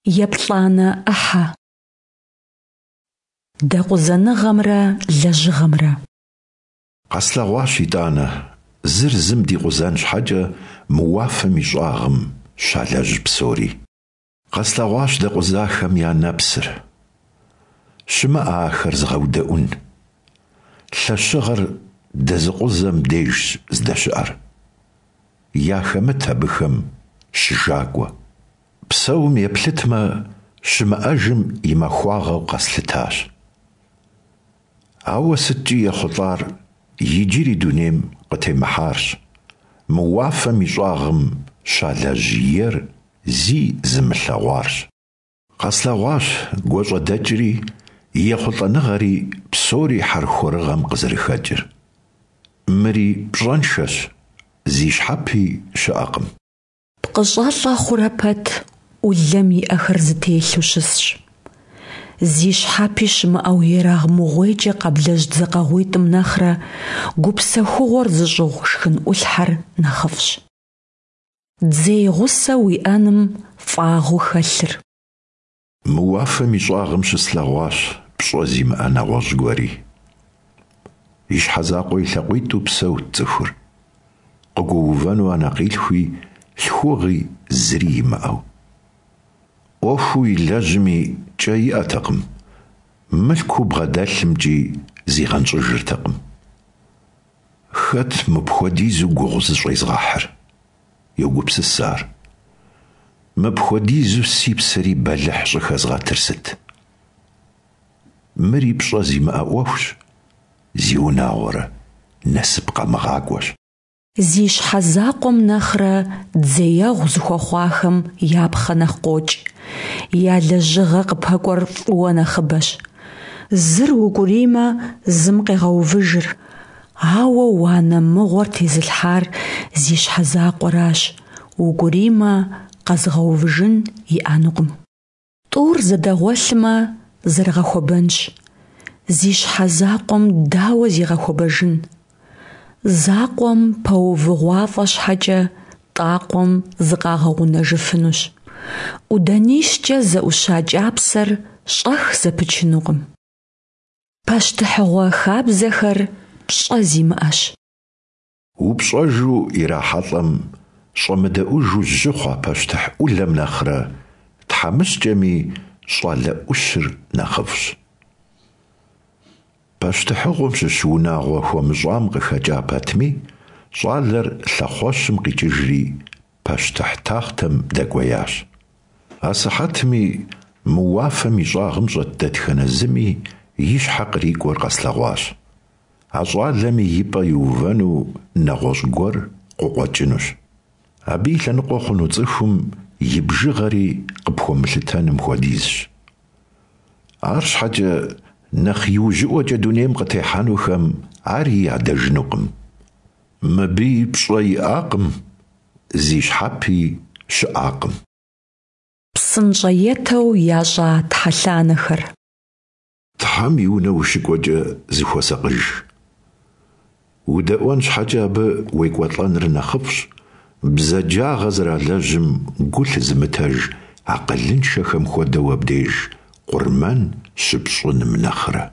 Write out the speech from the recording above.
Еплӏанэ ӏыхьэ. Дэкъузэныгъэмрэ лэжьыгъэмрэ. Къэслъэгъуащ итӏанэ, зыр зым дикъузэн щхьэкӏэ мы уафэм и щӏагъым щалэжь псори. Къэслъэгъуащ дэкъузахэм я нэпсыр. Щымыӏэ ахэр зыгъэудэӏун. Лъэщыгъэр дэзыкъузэм дежщ здэщыӏэр. Яхэмыт абыхэм щыжакӏуэ. Псэум еплъытмэ, щымыӏэжым и махуагъэу къэслъытащ. Ауэ сыткӏи ехъулӏар иджыри дунейм къытемыхьарщ, мы уафэм и щӏагъым щалэжь ер зи зымылъэгъуарщ. Къэслъэгъуащ гуащӏэдэкӏри, ехъулӏэныгъэри псори хьэрхуэрыгъэм къызэрыхэкӏыр. Мыри пщӏэншэщ, зи щхьэпи щыӏэкъым. Пкъыщӏэлӏэ хъурэ пэт ӏулэм и ӏэхэр зэтелъу щысщ. Зи щхьэпи щымыӏэу ерагъмыгъуейкӏэ къэблэжь дзэкъэгъуитӏым нэхърэ гупсэхугъуэр зыщӏыгъу шхын ӏулъхьэр нэхъыфӏщ. Дзей гъусэ уиӏэным фӏагъыу хэлъыр. Мы уафэм и щӏагъым щыслъэгъуащ пщӏэ зимыӏэ нэгъуэщӏ гуэри. И щхьэ закъуэ и лъакъуитӏу псэут цӏыхур, къыгуэувэну анэкъилъхуи лъхугъи зыри имыӏэу. ӏуэхуу илэжьми кӏэ иӏэтэкъым, мылъкуу бгъэдэлъымкӏи зигъэнщӏыжыртэкъым. Хэт мыпхуэдизу гугъу зыщӏезгъэхьыр? Йогупсыс ар. Мыпхуэдизу си псэри бэлыхь щӏыхэзгъэтыр сыт? Мыри пщӏэ зимыӏэ ӏуэхущ, зиунагъуэрэ, насып къэмыгъакӏуэщ. Зи щхьэ закъуэм нэхърэ дзеегъу зыхуэхъуахэм я пхъэ нэхъ къокӏ, я лэжьыгъэ къыпэкӏуэр фӏыуэ нэхъыбэщ. Зыр укӏуриймэ, зым къегъэувыжыр. Ауэ уанэ мыгъуэр тезылъхьар зи щхьэ закъуэращ, укӏуриймэ, къэзыгъэувыжын иӏэнукъым. Тӏур зэдэгъуэлъмэ, зэрыгъэхуэбэнщ. Зи щхьэ закъуэм дауэ зигъэхуэбэжын? Закъуэм пэувыгъуафӏэ щхьэкӏэ тӏакъуэм зыкъагъэгъунэжыфынущ. ӏуданищкӏэ зэӏуща кӏапсэр щӏэх зэпычынукъым. Пащтыхьыгъуэ хабзэхэр пщӏэ зимыӏэщ. Упщӏэжу ирахьэлӏэм щӏэмыдэӏужу жьы хъуа пащтыхь ӏулэм нэхърэ тхьэмыщкӏэми щӏалэ ӏущыр нэхъыфӏщ. Пащтыхьыгъуэм щыщ унагъуэ хуэмыщӏам къыхэкӏа пэтми, щӏалэр лъэхъуэщым къикӏыжри пащтыхь тахътэм дэкӏуеящ. Асыхьэтми мы уафэм и щӏагъым щӏэт дэтхэнэ зыми и щхьэ кърикӏуэр къэслъэгъуащ. А щӏалэми и пӏэ иувэну нэгъуэщӏ гуэр къыкъуэкӏынущ. Абы и лъэныкъуэ хъуну цӏыхум и бжыгъэри къыпхуэмылъытэным хуэдизщ. Арщхьэкӏэ нэхъ иужьыӏуэкӏэ дунейм къытехьэнухэм ари ядэжынукъым. Мыбыи пщӏэ иӏакъым, зи щхьэпи щыӏакъым. Псынщӏэетэу ящӏа тхьэлъанэхэр. Тхьэм и унэ ущыкӏуэкӏэ зыхуэсакъыж. Удэӏуэн щхьэкӏэ абы уекӏуэлӏэныр нэхъыфӏщ, бзаджагъэ зэралэжьым гу лъызымытэж акъылыншэхэм хуэдэу абдеж къурмэн щыпщӏыным нэхърэ.